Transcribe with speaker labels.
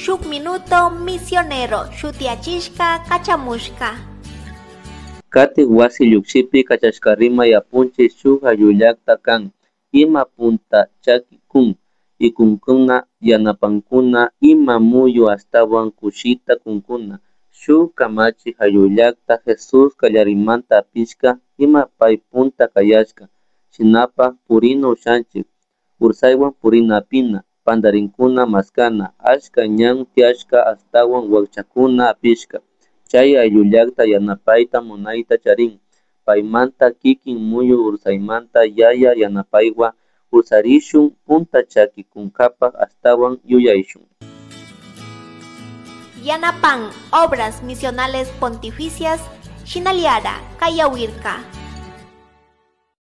Speaker 1: Shuk Minuto Misionero shutiyachishka kachamushka.
Speaker 2: Katik wasi llukshipi kachashka rimay apunchik shuk ayllullakta kan ima punta chaki kun ikunkuna yanapankuna ima muyu ashtawan kushita kunkuna shuk kamachik ayllullakta Jesús kallarimanta apishka ima pay punta kayashka shinapak purina ushanchik ursaywan purina apina pantarinkuna maskana achka ñan tiyashka ashtawan wakchakuna apishka chay ayllullakta yanapayta munayta charin paymanta kikin muyu ursaymanta yaya yanapaywan ursarishun punta chaki kunkapak ashtawan yuyayshun.
Speaker 1: Yanapan Obras Misionales Pontificias Shinaliara Kayawirka.